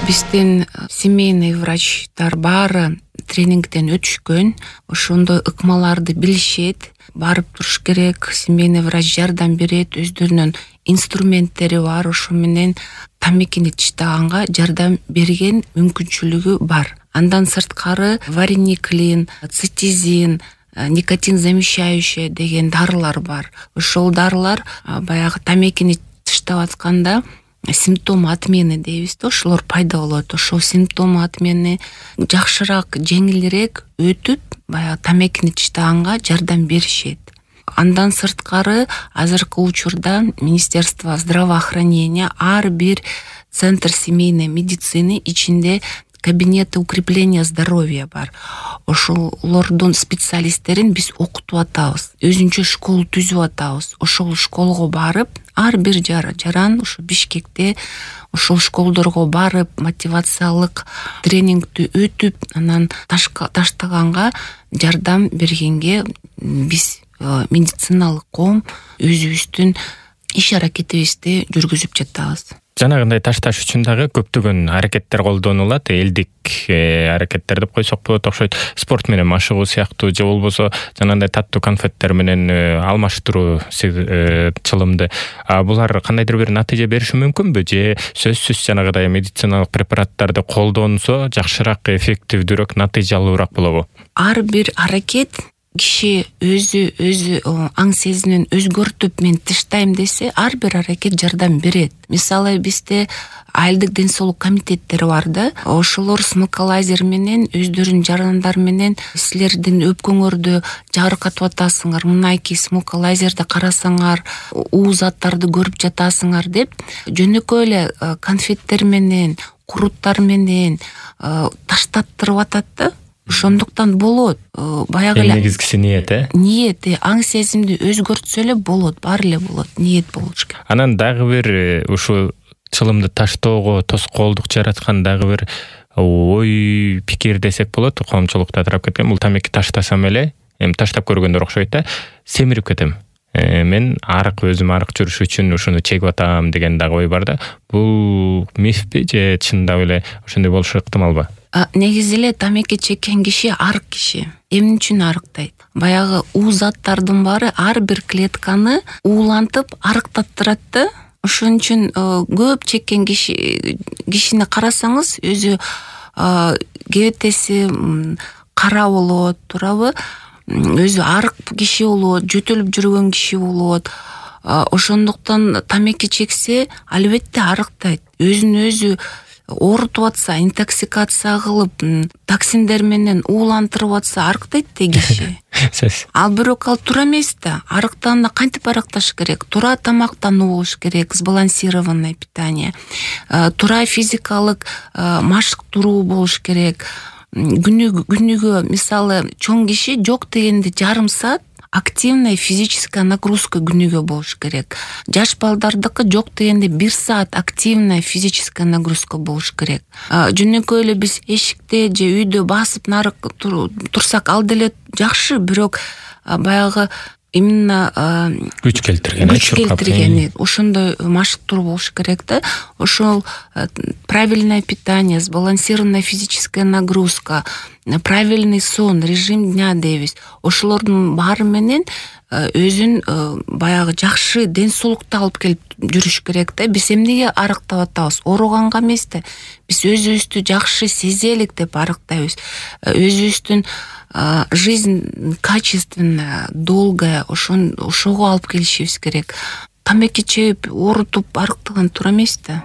Биздин семейный врачтар баары тренингден өтүшкөн, ошондой ыкмаларды билишет, барып туруш керек, семейный врач жардам берет, өздөрүнүн инструменттери бар, ошо менен тамекини тыштаганга жардам берген мүмкүнчүлүгү бар. Андан сырткары варениклин, цитизин, никотин замещающий деген дарылар бар. Ошол дарылар баягы тамекини тыштап атканда симптом отмены дейбиз да, ошолор пайда болот. Ошол симптом отмены жакшыраак, жеңилирээк өтүп, баягы тамекини тыштаганга жардам беришет. Андан сырткары азыркы учурда Министерство здравоохранения ар бир центр семейной медицины ичинде кабинеты укрепления здоровья бар. Ошолордун специалисттерин биз окутуп атабыз. Өзүнчө школ түзүп атабыз. Ошол школго барып, ар бир жаран ушу Бишкекте ошол школдорго барып, мотивациялык тренингди өтүп, анан таштаганга жардам бергенге биз медициналык коом өзүбүздүн иш аракетибизди жүргүзүп жатабыз. Жанагындай ташташ үчүн дагы көптөгөн аракеттер колдонулат. Элдик аракеттер деп койсок болот, окшойт. Спорт менен машыгуу сыяктуу, же болбосо жанагындай таттуу конфеттер менен алмаштыруу чылымды. Булар кандайдыр бир натыйжа бериши мүмкүнбү, же сөзсүз жанагыдай медициналык препараттарды колдонсо жакшыраак, эффективдүүрөөк, натыйжалуураак болобу? Ар бир аракет киши өзү аң сезимин өзгөртүп мен тыштайм десе, ар бир аракет жардам берет. Мисалы бизде айылдык ден соолук комитеттери бар да, ошолор смокалайзер менен өздөрүнүн жарандар менен силердин өпкөңөрдү жаркатып атасыңар, мынайки смокалайзерди карасаңар, уу заттарды көрүп жатасыңар деп, жөнөкөй эле конфеттер менен, куруттар менен таштаттырып атат да. Ошондуктан болот. Баягы эле негизгиси ниет, ниет, аң сезимди өзгөртсө эле болот, баары эле болот, ниет болуш керек. Анан дагы бир ушу чылымды таштоого тоскоолдук жараткан дагы бир ой пикир десек болот, коомчулукта тарап кеткен. Бул тамеки таштасам эле, эми таштап көргөндөр окшойт да, семирип кетем. Мен өзүм арык жүрүш үчүн ушуну чегип атам деген дагы ой бар да. Бул мифпи же чындап эле ошондой болушу ыктымалбы? Негизи эле тамеки чеккен киши арык киши. Эмне үчүн арыктайт? Баягы уу заттардын баары ар бир клетканы уулантып арыктаттырат да. Ошон үчүн көп чеккен кишини карасаңыз, өзү кебетеси кара болот, туурабы? Өзү арык киши болот, жөтөлүп жүргөн киши болот. Ошондуктан тамеки чексе, албетте арыктайт. Өзүн өзү оорутуп атса, интоксикация кылып, токсиндер менен уулантырып атса, арыктайт да киши. Ал бирок ал туура эмес да. Арыктаанда кантип арыкташ керек? Туура тамактануу болуш керек, сбалансированное питание. Туура физикалык машыктыруу болуш керек. Күнүгө мисалы чоң киши жок дегенде жарым саат активная физическая нагрузка күнүгө болуш керек. Жаш балдардыкы жок дегенде 1 саат активная физическая нагрузка болуш керек. Жөнөкөй эле биз эшикте же үйдө басып нарык турсак ал деле жакшы, бирок баягы именно күч келтирген ошондой машыктыруу болуш керек да. Ошол правильное питание, сбалансированная физическая нагрузка, правильный сон, режим дня дейбиз. Ошолордун баары менен өзүн баягы жакшы ден соолукту алып келип жүрүш керек да. Биз эмнеге арыктап атабыз? Ооруганга эмес да. Биз өзүбүздү жакшы сезелик деп арыктайбыз. Өзүбүздүн жизнь качественная, долгая, ошого алып келишибиз керек. Тамеки чегип, оорутуп арыктаган туура эмес да.